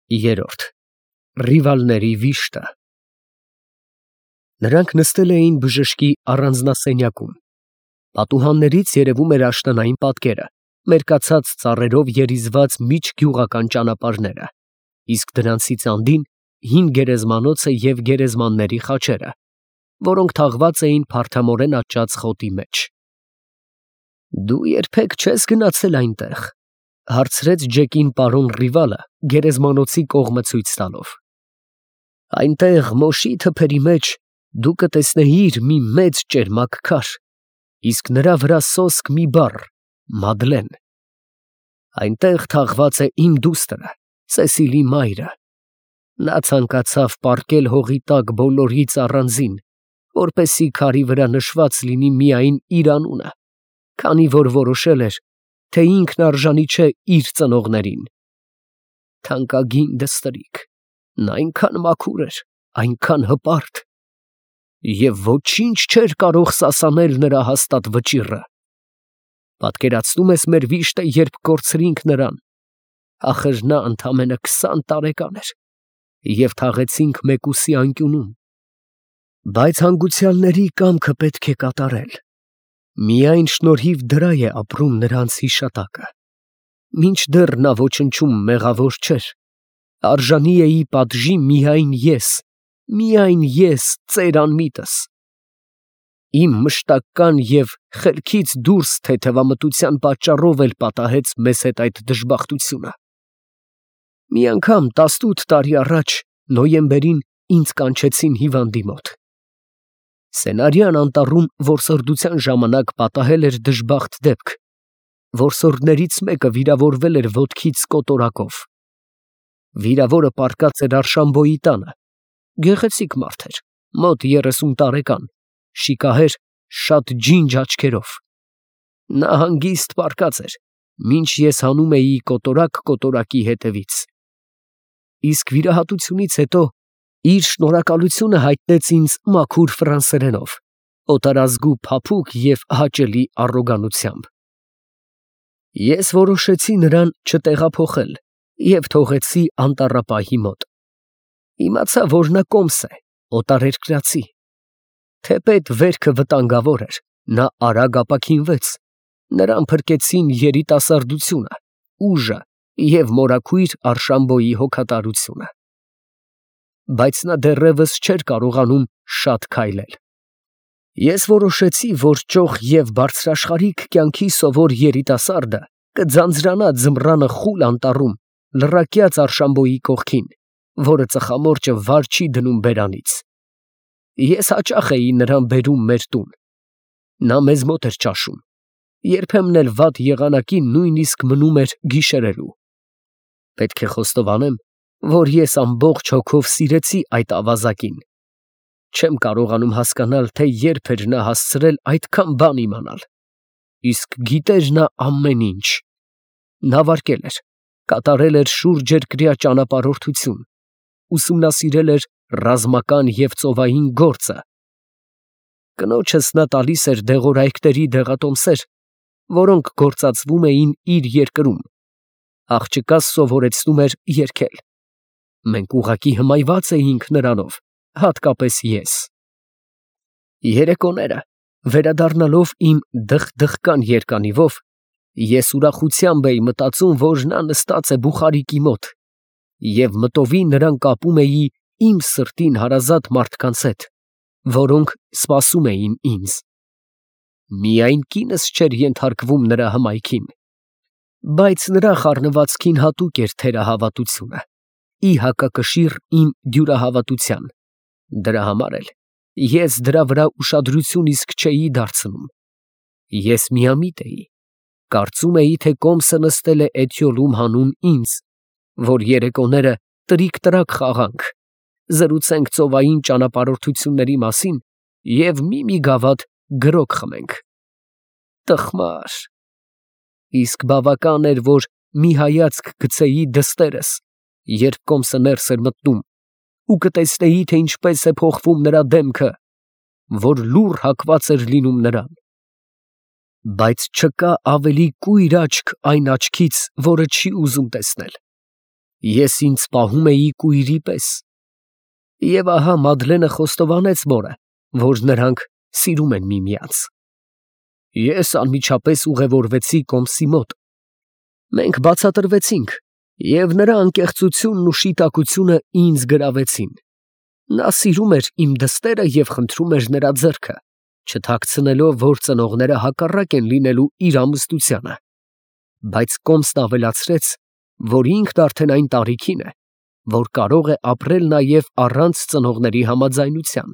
Երրորդ Ռիվալների վիշտը։ Նրանք նստել էին բժշկի առանձնասենյակում։ Պատուհաններից երևում էր աշնանային պատկերը, մերկացած ծառերով երիզված միջգյուղական ճանապարհները, իսկ դրանցից անդին հին գերեզմանոցը և գերեզմանների խաչերը, որոնք թաղված էին փարթամորեն աճած խոտի մեջ։ «Դու երբեք չես գնացել այնտեղ», ֊ հարցրեց Ջեկին պարոն Ռիվալը գերեզմանոցի կողմը ցույց տալով։ «Այնտեղ մոշի թփերի մեջ դու կտեսնեիր մի մեծ ճերմակ քար, իսկ նրա վրա սոսկ մի բառ՝ Մադլեն։ Այնտեղ թաղված է իմ դուստրը, Սեսիլի մայրը։ Նա ցանկացավ պառկել հողի տակ բոլորից առանձին, որպեսզի քարի վրա նշված լինի միայն իր անունը, քանի որ որոշել էր, թե ինքն արժանի չէ իր ծնողներին։ Թանկագին դստրիկ, նա այնքան մաքուր էր, այնքան հպարտ, և ոչինչ չէր կարող սասանել նրա հաստատ վճիռը։ Պատկերացնում ես մեր վիշտը, երբ կորցրինք նրան, ախր նա ընդամենը 20 տարեկան էր, և թաղեցինք մեկուսի անկյունում։ Բայց հանգուցյալների կամքը պետք է կատարել։ Միայն շնորհիվ դրա է ապրում նրանց հիշատակը։ Մինչդեռ նա ոչնչում մեղավոր չէր, արժանի էի պատժի միայն ես ծեր անմիտս։ Իմ մշտական և խելքից դուրս թեթևամտության պատճառով էլ պատահեց մեզ հետ այդ դժբախտությունը։ Մի անգամ 18 տարի առաջ նոյեմբերին ինձ կանչեցին հիվանդի մոտ։ Սենարյան անտառում որսորդության ժամանակ պատահել էր դժբախտ դեպք։ Որսորդներից մեկը վիրավորվել էր ոտքից կոտորակով։ Վիրավորը պառկած էր Արշամբոյի տանը։ Գեղեցիկ մարդ էր, մոտ 30 տարեկան, շիկահեր, շատ ջինջ աչքերով։ Նա հանգիստ պառկած էր, մինչ ես հանում էի կոտորակ կոտորակի հետևից։ Իսկ վիրահատությունից հետո իր շնորհակալությունը հայտնեց ինձ մաքուր ֆրանսերենով, օտարազգու փափուկ և հաճելի առոգանությամբ։ Ես որոշեցի նրան չտեղափոխել և թողեցի անտառապահի մոտ։ Իմացա, որ նա կոմս է, օտարերկրացի։ Թեպետ վերքը վտանգավոր էր, նա արագ ապաքինվեց, նրան փրկեցին երիտասարդությունը, ուժը և մորաքույր Արշամբոյի հոգատարությունը։ Բայց նա դեռևս չէր կարողանում շատ քայլել։ Ես որոշեցի, որ ճոխ և բարձրաշխարհիկ կյանքի սովոր երիտասարդը կձանձրանա ձմռանը խուլ անտառում, լռակյաց Արշամբոյի կողքին, որը ծխամորճը վար չի դնում բերանից։ Ես հաճախ էի նրան բերում մեր տուն։ Նա մեզ մոտ էր ճաշում, երբեմն էլ վատ եղանակին նույնիսկ մնում էր գիշերելու։ Պետք է խոստովանեմ, որ ես ամբողջ հոգով սիրեցի այդ ավազակին։ Չեմ կարողանում հասկանալ, թե երբ էր նա հասցրել այդքան բան իմանալ։ Իսկ գիտեր նա ամեն ինչ։ Նավարկել էր, կատարել էր շուրջերկրյա ճանապարհորդություն, ուսումնասիրել էր ռազմական և ծովային գործը։ Կնոջս նա տալիս էր դեղորայքների դեղատոմսեր, որոնք գործածվում էին իր երկրում։ Աղջկաս սովորեցնում էր երգել։ Մենք ուղղակի հմայված էինք նրանով, հատկապես ես։ Երեկոները, վերադառնալով իմ դխ֊դխկան երկանիվով, ես ուրախությամբ էի մտածում, որ նա նստած է բուխարիկի մոտ, և մտովի նրան կապում էի իմ սրտին հարազատ մարդկանց հետ, որոնք սպասում էին ինձ։ Միայն կինս չէր ենթարկվում նրա հմայքին, բայց նրա խառնվածքին հատուկ էր թերահավատությունը, ի հակակշիռ իմ դյուրահավատության։ Դրա համար էլ ես դրա վրա ուշադրություն իսկ չէի դարձնում։ Ես միամիտ էի, կարծում էի, թե կոմսը նստել է էթյոլում հանուն ինձ, որ երեկոները տրիկ֊տրակ խաղանք, զրուցենք ծովային ճանապարհորդությունների մասին և մի գավաթ գրոգ խմենք։ Տխմար։ Իսկ բավական էր, որ մի հայացք գցեի դստերս, երբ կոմսը ներս էր մտնում, ու կտեսնեի, թե ինչպես է փոխվում նրա դեմքը, որ լուռ հակված էր լինում նրան։ Բայց չկա ավելի կույր աչք այն աչքից, որը չի ուզում տեսնել։ Ես ինձ պահում էի կույրի պես։ Եվ ահա Մադլենը խոստովանեց մորը, որ նրանք սիրում են միմյանց։ Ես անմիջապես ուղևորվեցի Կոմսի մոտ։ Մենք բացատրվեցինք, և նրա անկեղծությունն ու շիտակությունը ինձ գրավեցին։ Նա սիրում էր իմ դստերը և խնդրում էր նրա ձեռքը, չթաքցնելով, որ ծնողները հակառակ են լինելու իր ամուսնությանը։ Բայց Կոմսն ավելացրեց, որ ինքն արդեն այն տարիքին է, որ կարող է ապրել նաև առանց ծնողների համաձայնության,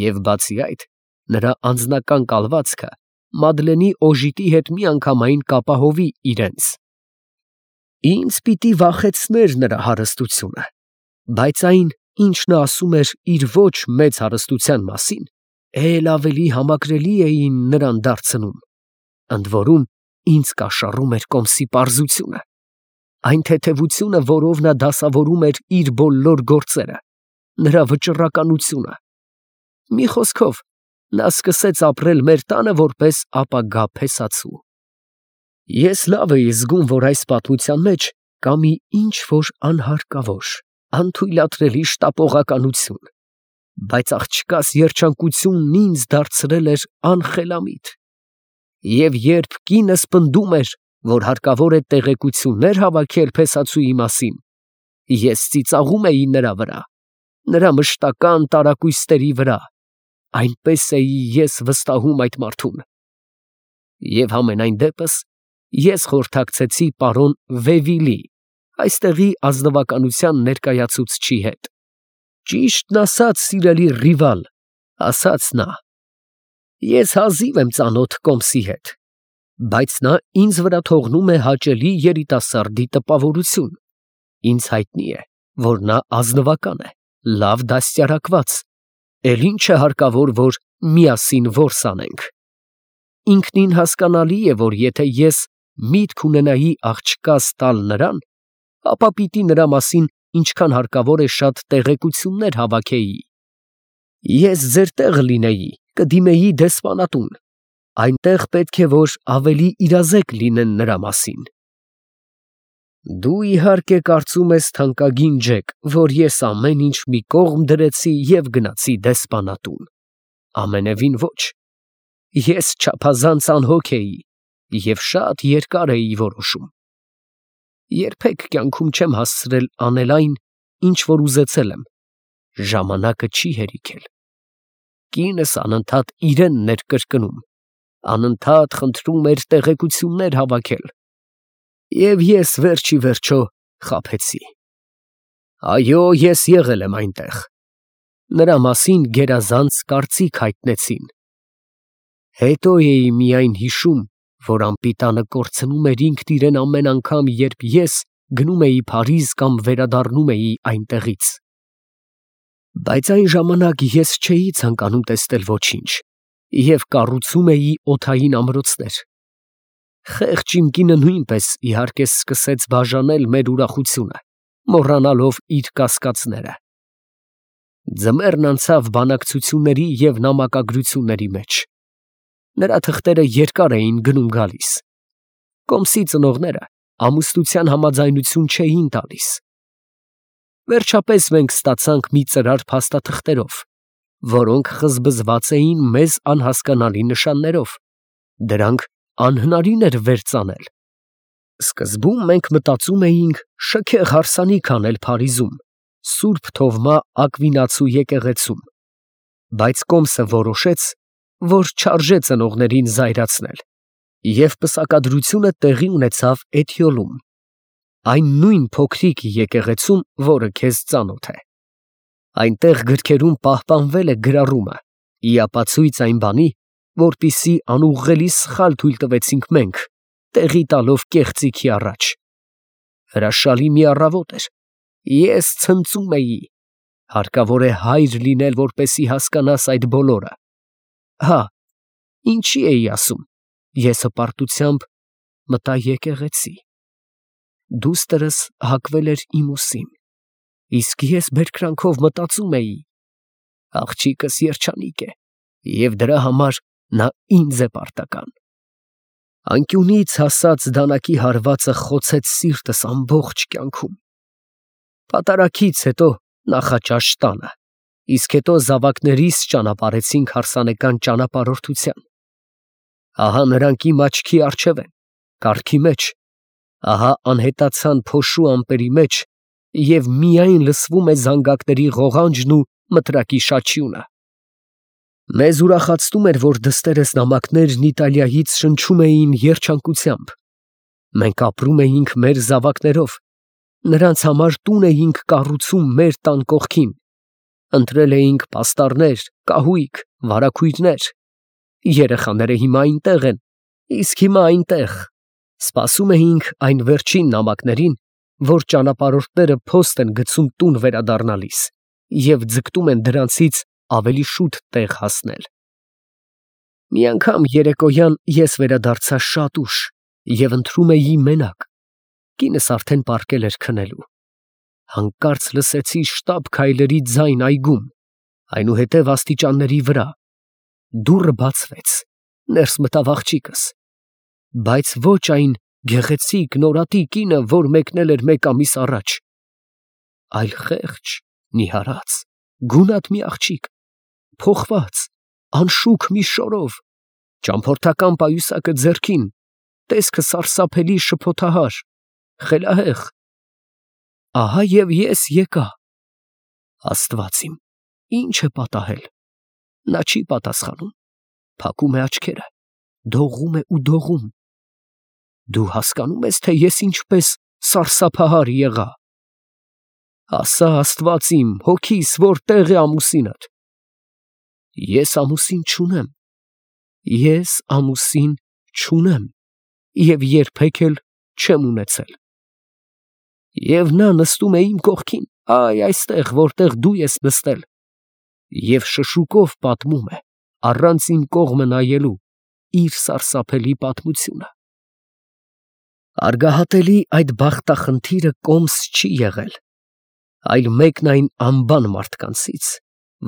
և բացի այդ, նրա անձնական կալվածքը Մադլենի օժիտի հետ միանգամայն կապահովի իրենց։ Ինձ պիտի վախեցներ նրա հարստությունը, բայց այն, ինչ նա ասում էր իր ոչ մեծ հարստության մասին, էլ ավելի համակրելի էին նրան դարձնում, ընդ որում ինձ կաշառում էր Կոմսի պարզությունը, այն թեթևությունը, որով նա դասավորում էր իր բոլոր գործերը, նրա վճռականությունը։ Մի խոսքով, նա սկսեց ապրել մեր տանը որպես ապագա փեսացու։ Ես լավ էի զգում, որ այս պատմության մեջ կա մի ինչ-որ անհարկավոր, անթույլատրելի շտապողականություն, բայց աղջկաս երջանկությունն ինձ դարձրել էր անխելամիտ։ Եվ երբ կինս պնդում էր, որ հարկավոր է տեղեկություններ հավաքել փեսացուի մասին, ես ծիծաղում էի նրա վրա, նրա մշտական տարակույսերի վրա, այնպես էի ես վստահում այդ մարդուն։ Եվ համենայն դեպս, ես խորհրդակցեցի պարոն Վևիլի, այստեղի ազնվականության ներկայացուցչի հետ։ Ճիշտն ասած, սիրելի Ռիվալ, ասաց նա, ես հազիվ եմ ծանոթ Կոմսի հետ, բայց նա ինձ վրա թողնում է հաճելի երիտասարդի տպավորություն։ Ինձ հայտնի է, որ նա ազնվական է, լավ դաստիարակված, էլ ինչ է հարկավոր, որ միասին որս անենք։ Ինքնին հասկանալի է, որ եթե ես միտք ունենայի աղջկաս տալ նրան, ապա պիտի նրա մասին ինչքան հարկավոր է շատ տեղեկություններ հավաքեի։ Ես ձեր տեղը լինեի, կդիմեի դեսպանատուն, այնտեղ պետք է, որ ավելի իրազեկ լինեն նրա մասին։ Դու իհարկե կարծում ես, թանկագին Ջեք, որ ես ամեն ինչ մի կողմ դրեցի և գնացի դեսպանատուն։ Ամենևին ոչ։ Ես չափազանց անհոգ էի և շատ երկար էի որոշում։ Երբեք կյանքում չեմ հասցրել անել այն, ինչ որ ուզեցել եմ։ Ժամանակը չի հերիքել։ Կինս անընդհատ իրենն էր կրկնում, անընդհատ խնդրում էր տեղեկություններ հավաքել։ Եվ ես վերջ ի վերջո խաբեցի։ Այո, ես եղել եմ այնտեղ։ Նրա մասին գերազանց կարծիք հայտնեցին։ Հետո էի միայն հիշում, որ անպիտանը կորցնում էր ինքն իրեն ամեն անգամ, երբ ես գնում էի Փարիզ կամ վերադառնում էի այնտեղից։ Բայց այն ժամանակ ես չէի ցանկանում տեսնել ոչինչ և կառուցում էի օդային ամրոցներ։ Խեղճ իմ կինը նույնպես իհարկե սկսեց բաժանել մեր ուրախությունը, մոռանալով իր կասկածները։ Ձմեռն անցավ բանակցությունների և նամակագրությունների մեջ։ Նրա թղթերը երկար էին գնում գալիս։ Կոմսի ծնողները ամուսնության համաձայնություն չէին տալիս։ Վերջապես մենք ստացանք մի ծրար փաստաթղթերով, որոնք խզբզված էին մեզ անհասկանալի նշաններով։ Դրանք անհնարին էր վերծանել։ Սկզբում մենք մտածում էինք շքեղ հարսանիք անել Փարիզում, Սուրբ Թովմա Ակվինացու եկեղեցում, բայց Կոմսը որոշեց, որ չարժե ծնողներին զայրացնել, և պսակադրությունը տեղի ունեցավ Էթիոլում, այն նույն փոքրիկ եկեղեցում, որը քեզ ծանոթ է։ Այնտեղ գրքերում պահպանվել է գրառումը, ի ապացույց այն բանի, որպիսի անուղղելի սխալ թույլ տվեցինք մենք, տեղի տալով կեղծիքի առաջ։ Հրաշալի մի առավոտ էր։ Ես ցնծում էի։ Հարկավոր է հայր լինել, որպեսի հասկանաս այդ բոլորը։ Հա, ինչի էի ասում։ Ես հպարտությամբ մտա եկեղեցի։ Դուստրս հագվել էր իմ ուսին, իսկ ես բերկրանքով մտածում էի. աղջիկս երջանիկ է, և դրա համար նա ինձ է պարտական։ Անկյունից հասած դանակի հարվածը խոցեց սիրտս ամբողջ կյանքում։ Պատարագից հետո նախաճաշ տանը, իսկ հետո զավակներիս ճանապարհեցինք հարսանեկան ճանապարհորդության։ Ահա նրանք իմ աչքի առջև են, կառքի մեջ, ահա անհետացան փոշու ամպերի մեջ, և միայն լսվում է զանգակների ղողանջն ու մտրակի շաչյունը։ Մեզ ուրախացնում էր, որ դստերս նամակներն Իտալիայից շնչում էին երջանկությամբ։ Մենք ապրում էինք մեր զավակներով, նրանց համար տուն էինք կառուցում մեր տան կողքին, ընտրել էինք պաստառներ, կահույք, վարագույրներ։ Երեխաները հիմա այնտեղ են, իսկ հիմա այնտեղ, սպասում էինք այն վերջին նամակներին, որ ճանապարհորդները փոստ են գցում տուն վերադառնալիս և ձգտում են դրանցից ավելի շուտ տեղ հասնել։ Մի անգամ երեկոյան ես վերադարձա շատ ուշ և ընթրում էի մենակ, կինս արդեն պառկել էր քնելու։ Հանկարծ լսեցի շտապ քայլերի ձայն այգում, այնուհետև աստիճանների վրա։ Դուռը բացվեց, ներս մտավ աղջիկս, բայց ոչ այն գեղեցիկ նորատի կինը, որ մեկնել էր 1 ամիս առաջ, այլ խեղճ, նիհարած, գունատ մի աղջիկ, փոխված, անշուք մի շորով, ճամփորդական պայուսակը ձեռքին, տեսքը սարսափելի շփոթահար, խելահեղ։ Ահա և ես եկա։ Աստված իմ, ինչ է պատահել։ Նա չի պատասխանում, փակում է աչքերը, դողում է ու դողում։ Դու հասկանում ես, թե ես ինչպես սարսափահար եղա։ Ասա, Աստված իմ, հոգիս, որտեղ է ամուսինդ։ Ես ամուսին չունեմ։ Ես ամուսին չունեմ և երբեք էլ չեմ ունեցել։ Եվ նա նստում է իմ կողքին, այստեղ, որտեղ դու ես նստել, և շշուկով պատմում է, առանց իմ կողմը նայելու, իր սարսափելի պատմությունը։ Արգահատելի այդ բախտախնդիրը կոմս չի եղել, այլ մեկն այն անբան մարդկանցից,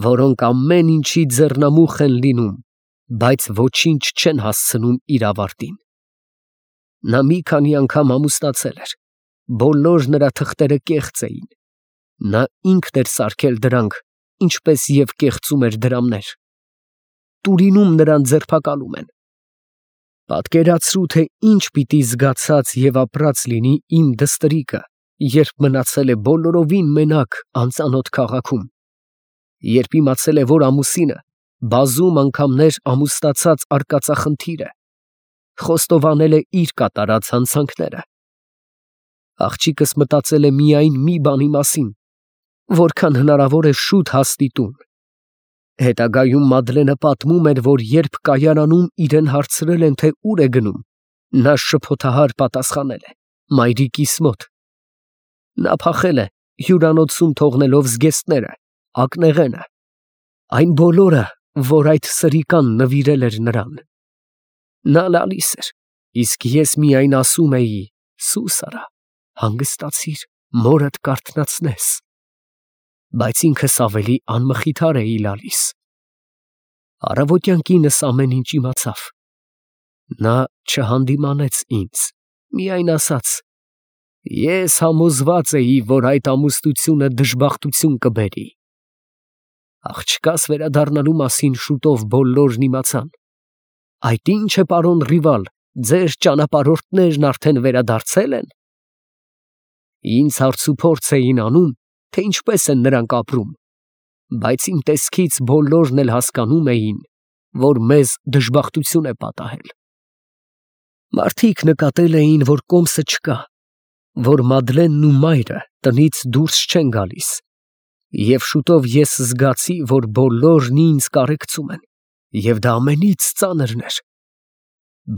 որոնք ամեն ինչի ձեռնամուխ են լինում, բայց ոչինչ չեն հասցնում իր ավարտին։ Նա մի քանի անգամ ամուսնացել էր, բոլոր նրա թղթերը կեղծ էին, նա ինքն էր սարքել դրանք, ինչպես և կեղծում էր դրամներ։ Տուրինում նրան ձերբակալում են։ Պատկերացրու, թե ինչ պիտի զգացած և ապրած լինի իմ դստրիկը, երբ մնացել է բոլորովին մենակ անծանոթ քաղաքում, երբ իմացել է, որ ամուսինը բազում անգամներ ամուսնացած արկածախնդիր է, խոստովանել է իր կատարած հանցանքները։ Աղջիկս մտածել է միայն մի բանի մասին, որքան հնարավոր է շուտ հասնի տուն։ Հետագայում Մադլենը պատմում էր, որ երբ կայարանում իրեն հարցրել են, թե ուր է գնում, նա շփոթահար պատասխանել է. մայրիկիս մոտ։ Նա փախել է, հյուրանոցում թողնելով զգեստները, ակնեղենը, այն բոլորը, որ այդ սրիկան նվիրել էր նրան։ Նա լալիս էր, իսկ ես միայն ասում էի. սուս արա, հանգստացիր, մորդ կարթնացնես։ Բայց ինքս ավելի անմխիթար էի լալիս։ Առավոտյան կինս ամեն ինչ իմացավ։ Նա չհանդիմանեց ինձ, միայն ասաց. ես համոզված էի, որ այդ ամուսնությունը դժբախտություն կբերի։ Աղջկաս վերադառնալու մասին շուտով բոլորն իմացան։ Այդ ի՞նչ է, պարոն Ռիվալ, ձեր ճանապարհորդներն արդեն վերադարձել են։ Ինձ հարցուփորձ էին անում, թե ինչպես են նրանք ապրում, բայց իմ տեսքից բոլորն էլ հասկանում էին, որ մեզ դժբախտություն է պատահել։ Մարդիկ նկատել էին, որ կոմսը չկա, որ Մադլենն ու մայրը տնից դուրս չեն գալիս, և շուտով ես զգացի, որ բոլորն ինձ կարեկցում են, և դա ամենից ծանրն էր։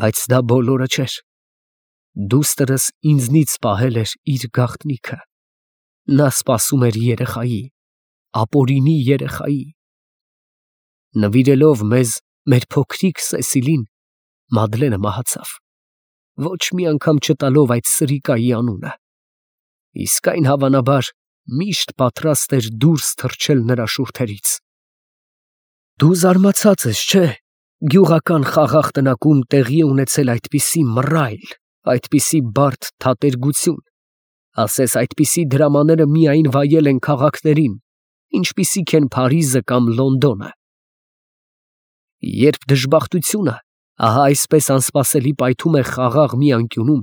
Բայց դա բոլորը չէր։ Դուստրս ինձնից պահել էր իր գաղտնիքը։ Նա սպասում էր երեխայի, ապօրինի երեխայի։ Նվիրելով մեզ մեր փոքրիկ Սեսիլին, Մադլենը մահացավ, ոչ մի անգամ չտալով այդ սրիկայի անունը, իսկ այն հավանաբար միշտ պատրաստ էր դուրս թռչել նրա շուրթերից։ Դու զարմացած ես, չէ՞, գյուղական խաղաղ տնակում տեղի է ունեցել այդպիսի մռայլ, այդպիսի բարդ թատերգություն, Ասես այդպիսի դրամաները միայն վայել են քաղաքներին, ինչպիսիք են Փարիզը կամ Լոնդոնը։ Երբ դժբախտությունը ահա այսպես անսպասելի պայթում է խաղաղ մի անկյունում,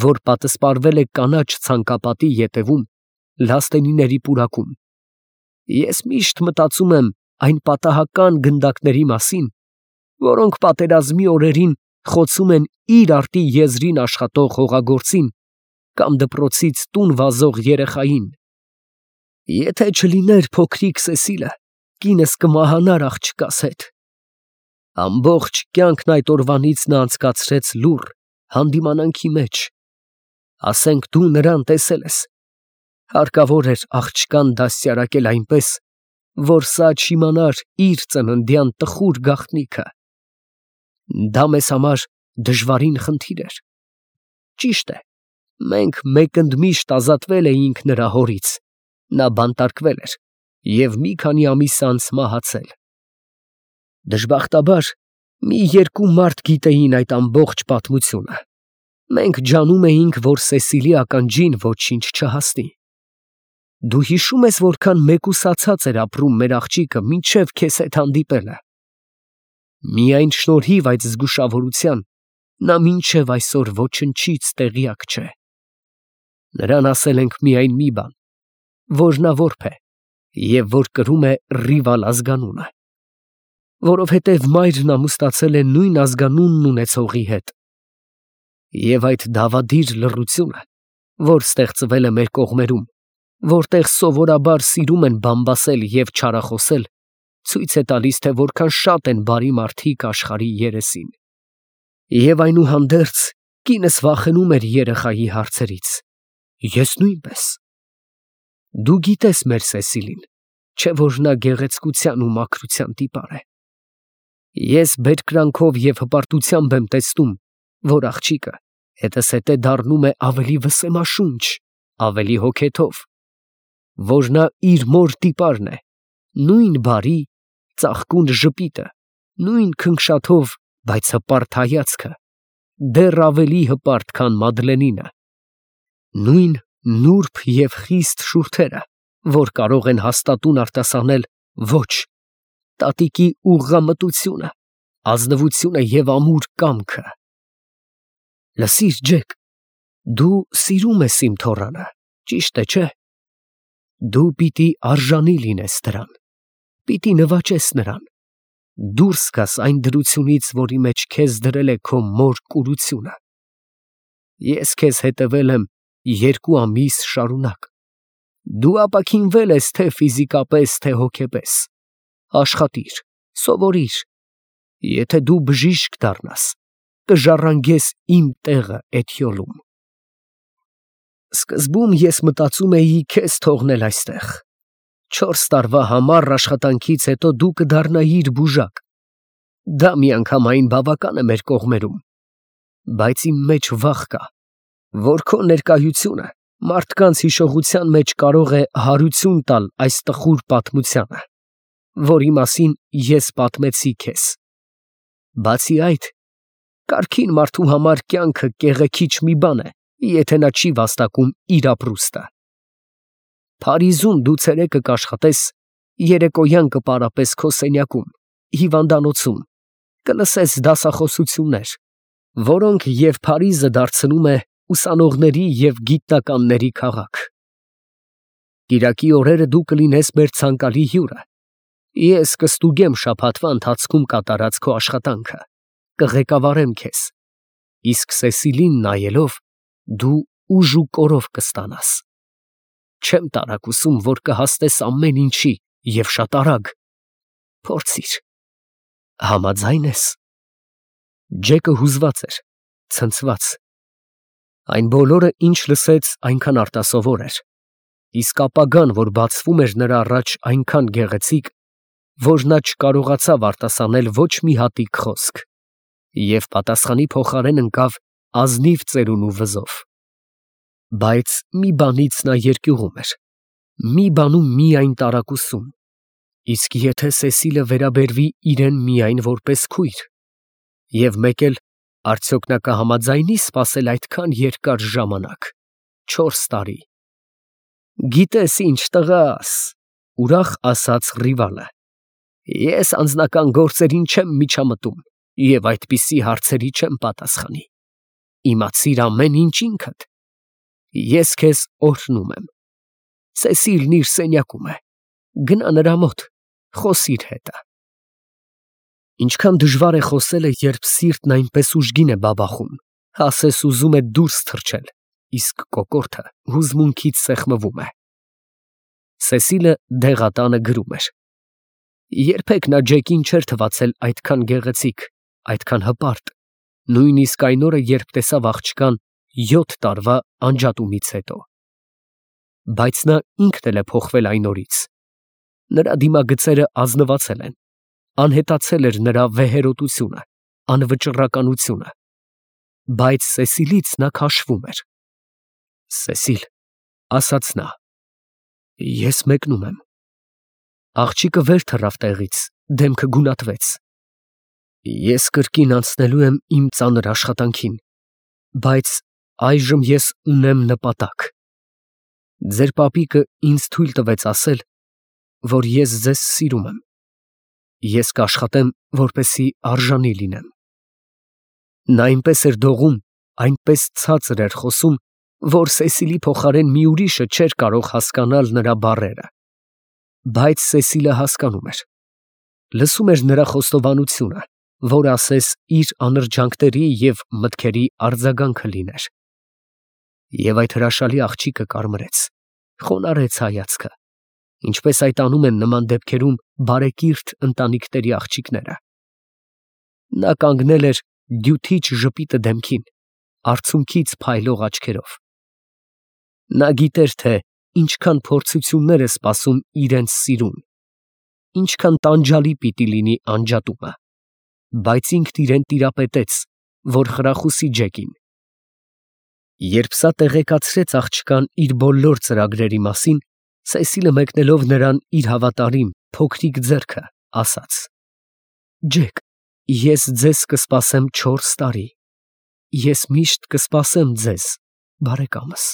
որ պատսպարվել է կանաչ ցանկապատի ետևում, լաստենիների պուրակում, ես միշտ մտածում եմ այն պատահական գնդակների մասին, որոնք պատերազմի օրերին խոցում են իր արտի եզրին աշխատող հողագործին կամ դպրոցից տուն վազող երեխային։ Եթե չլիներ փոքրիկ Սեսիլը, կինս կմահանար աղջկաս հետ։ Ամբողջ կյանքն այդ օրվանից նա անցկացրեց լուռ հանդիմանանքի մեջ։ Ասենք դու նրան տեսել ես։ Հարկավոր էր աղջկան դաստիարակել այնպես, որ սա չիմանար իր ծննդյան տխուր գաղտնիքը։ Դա մեզ համար դժվարին խնդիր էր։ Ճիշտ է, մենք մեկընդմիշտ ազատվել էինք նրա հորից, նա բանտարկվել էր և մի քանի ամիս անց մահացել։ Դժբախտաբար, մի երկու մարդ գիտեին այդ ամբողջ պատմությունը։ Մենք ջանում էինք, որ Սեսիլի ականջին ոչինչ չհասնի։ Դու հիշում ես, որքան մեկուսացած էր ապրում մեր աղջիկը մինչև քեզ հետ հանդիպելը։ Միայն շնորհիվ այդ զգուշավորության նա մինչև այսօր ոչնչից տեղյակ չէ։ Նրան ասել ենք միայն մի բան, որ նա որբ է և որ կրում է Ռիվալ ազգանունը, որովհետև մայրն ամուսնացել է նույն ազգանունն ունեցողի հետ։ Եվ այդ դավադիր լռությունը, որ ստեղծվել է մեր կողմերում, որտեղ սովորաբար սիրում են բամբասել և չարախոսել, ցույց է տալիս, թե որքան շատ են բարի մարդիկ աշխարհի երեսին։ Եվ այնուհանդերձ կինս վախենում էր երեխայի հարցերից։ Ես նույնպես։ Դու գիտես մեր Սեսիլին, չէ՞ որ նա գեղեցկության ու մաքրության տիպար է։ Ես բերկրանքով և հպարտությամբ եմ տեսնում, որ աղջիկը հետզհետե դառնում է ավելի վսեմաշունչ, ավելի հոգեթով, որ նա իր մոր տիպարն է, նույն բարի, ծաղկուն ժպիտը, նույն քնքշաթով, բայց հպարտ հայացքը, դեռ ավելի հպարտ, քան Մադլենինը, նույն նուրբ և խիստ շուրթերը, որ կարող են հաստատուն արտասանել ոչ, տատիկի ուղղամտությունը, ազնվությունը և ամուր կամքը։ Լսիր, Ջեք, դու սիրում ես իմ թոռանը, ճիշտ է, չէ՞։ Դու պիտի արժանի լինես դրան, պիտի նվաճես նրան, դուրս գաս այն դրությունից, որի մեջ քեզ դրել է քո մոր կուրությունը։ Ես քեզ հետևել եմ 2 ամիս շարունակ։ Դու ապաքինվել ես թե ֆիզիկապես, թե հոգեպես։ Աշխատիր, սովորիր։ Եթե դու բժիշկ դառնաս, կժառանգես իմ տեղը Էթյոլում։ Սկզբում ես մտածում էի քեզ թողնել այստեղ։ 4 տարվա համառ աշխատանքից հետո դու կդառնայիր բուժակ։ Դա միանգամայն բավական է մեր կողմերում։ Բայց իմ մեջ վախ կա, որ քո ներկայությունը մարդկանց հիշողության մեջ կարող է հարություն տալ այս տխուր պատմությանը, որի մասին ես պատմեցի քեզ։ Բացի այդ, կարգին մարդու համար կյանքը կեղեքիչ մի բան է, եթե նա չի վաստակում իր ապրուստը։ Փարիզում դու ցերեկը կաշխատես, երեկոյան կպարապես քո սենյակում, հիվանդանոցում, կլսես դասախոսություններ, որոնք և Փարիզը դարձնում է ուսանողների և գիտնականների քաղաք։ Կիրակի օրերը դու կլինես մեր ցանկալի հյուրը։ Ես կստուգեմ շաբաթվա ընթացքում կատարած քո աշխատանքը, կղեկավարեմ քեզ, իսկ Սեսիլին նայելով դու ուժ ու կորով կստանաս։ Չեմ տարակուսում, որ կհասնես ամեն ինչի և շատ արագ։ Փորձիր։ Համաձայն ես։ Ջեկը հուզված էր, ցնցված։ Այն բոլորը, ինչ լսեց, այնքան արտասովոր էր, իսկ ապագան, որ բացվում էր նրա առաջ, այնքան գեղեցիկ, որ նա չկարողացավ արտասանել ոչ մի հատիկ խոսք, և պատասխանի փոխարեն ընկավ ազնիվ ծերուն ու վզով։ Բայց մի բանից նա երկյուղում էր, մի բանում միայն տարակուսում, իսկ եթե Սեսիլը վերաբերվի իրեն միայն որպես քույր, և մեկ էլ, արդյոք նա կհամաձայնի սպասել այդքան երկար ժամանակ։ 4 տարի։ Գիտես ինչ, տղաս, ուրախ ասաց Ռիվալը, ես անձնական գործերին չեմ միջամտում և այդպիսի հարցերի չեմ պատասխանի։ Իմացիր ամեն ինչ ինքդ։ Ես քեզ օրհնում եմ։ Սեսիլն իր սենյակում է։ Գնա նրա մոտ, խոսիր հետը։ Ինչքան դժվար է խոսելը, երբ սիրտն այնպես ուժգին է բաբախում, ասես ուզում է դուրս թռչել, իսկ կոկորդը հուզմունքից սեղմվում է։ Սեսիլը դեղատանը գրում էր։ Երբեք նա Ջեկին չէր թվացել այդքան գեղեցիկ, այդքան հպարտ, նույնիսկ այն օրը, երբ տեսավ աղջկան 7 տարվա անջատումից հետո։ Բայց նա ինքն էլ է փոխվել այն օրից։ Նրա դիմագծերը ազնվացել են, անհետացել էր նրա վեհերոտությունը, անվճռականությունը, բայց Սեսիլից նա քաշվում էր։ Սեսիլ, ասաց նա, ես մեկնում եմ։ Աղջիկը վեր թռավ տեղից, դեմքը գունատվեց։ Ես կրկին անցնելու եմ իմ ծանր աշխատանքին, բայց այժմ ես ունեմ նպատակ։ Ձեր պապիկը ինձ թույլ տվեց ասել, որ ես ձեզ սիրում եմ։ Ես կաշխատեմ, որպեսզի արժանի լինեմ։ Նա այնպես էր դողում, այնպես ցածր էր խոսում, որ Սեսիլի փոխարեն մի ուրիշը չէր կարող հասկանալ նրա բառերը։ Բայց Սեսիլը հասկանում էր։ Լսում էր նրա խոստովանությունը, որ ասես իր անրջանքների և մտքերի արձագանքը լիներ։ Եվ այդ հրաշալի աղջիկը կարմրեց, խոնարհեց հայացքը, ինչպես այդ անում են նման դեպքերում բարեկիրթ ընտանիքների աղջիկները։ Նա կանգնել էր դյութիչ ժպիտը դեմքին, արցունքից փայլող աչքերով։ Նա գիտեր, թե ինչքան փորձություններ է սպասում իրենց սիրուն, ինչքան տանջալի պիտի լինի անջատումը, բայց ինքն իրեն տիրապետեց, որ խրախուսի Ջեկին։ Երբ սա տեղեկացրեց աղջկան իր բոլոր ծրագրերի մասին, Սեսիլը մեկնելով նրան իր հավատարիմ, փոքրիկ ձեռքը, ասաց. Ջեք, ես ձեզ կսպասեմ 4 տարի։ Ես միշտ կսպասեմ ձեզ, բարեկամս։